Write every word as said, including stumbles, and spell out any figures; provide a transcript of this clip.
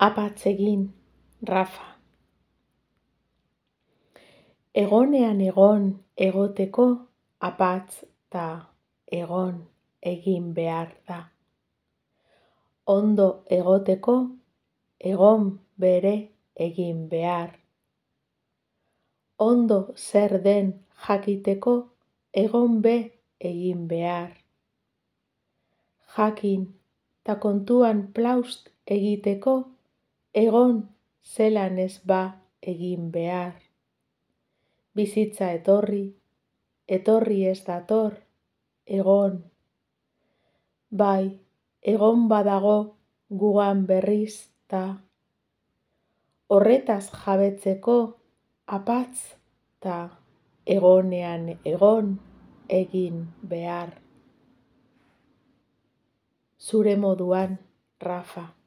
Apatz egin, Rafa. Egonean egon egoteko apatz ta egon egin behar da. Ondo egoteko egon bere egin behar. Ondo zer den jakiteko egon be egin behar. Jakin ta kontuan plaust egiteko egon zelan ez ba egin behar. Bizitza etorri, etorri ez dator, egon. Bai, egon badago gugan berriz ta horretaz jabetzeko apatz ta egonean egon egin behar. Zure moduan, Rafa.